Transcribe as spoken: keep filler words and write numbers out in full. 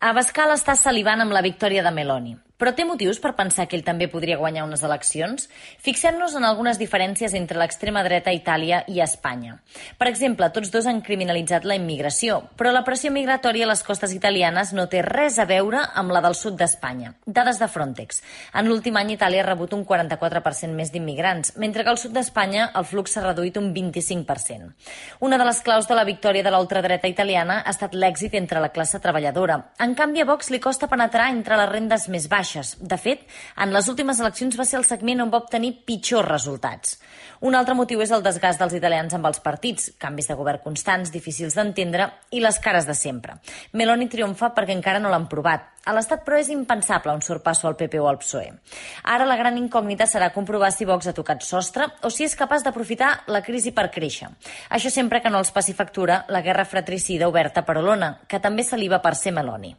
Abascal està salivant amb la victòria de Meloni. Però té motius per pensar que ell també podria guanyar unes eleccions? Fixem-nos en algunes diferències entre l'extrema dreta a Itàlia i a Espanya. Per exemple, tots dos han criminalitzat la immigració, però la pressió migratòria a les costes italianes no té res a veure amb la del sud d'Espanya. Dades de Frontex. En l'últim any Itàlia ha rebut un quaranta-quatre per cent més d'immigrants, mentre que al sud d'Espanya el flux s'ha reduït un vint-i-cinc per cent. Una de les claus de la victòria de la ultradreta italiana ha estat l'èxit entre la classe treballadora. En canvi, a Vox li costa penetrar entre les rendes més baixes. De fet, en les últimes eleccions va ser el segment on va obtenir pitjors resultats. Un altre motiu és el desgast dels italians amb els partits, canvis de govern constants, difícils d'entendre i les cares de sempre. Meloni triomfa perquè encara no l'han provat. A l'Estat, però, és impensable un sorpasso al P P o al P S O E. Ara la gran incògnita serà comprovar si Vox ha tocat sostre o si és capaç d'aprofitar la crisi per créixer. Això sempre que no els passi factura la guerra fratricida oberta per Olona, que també saliva per ser Meloni.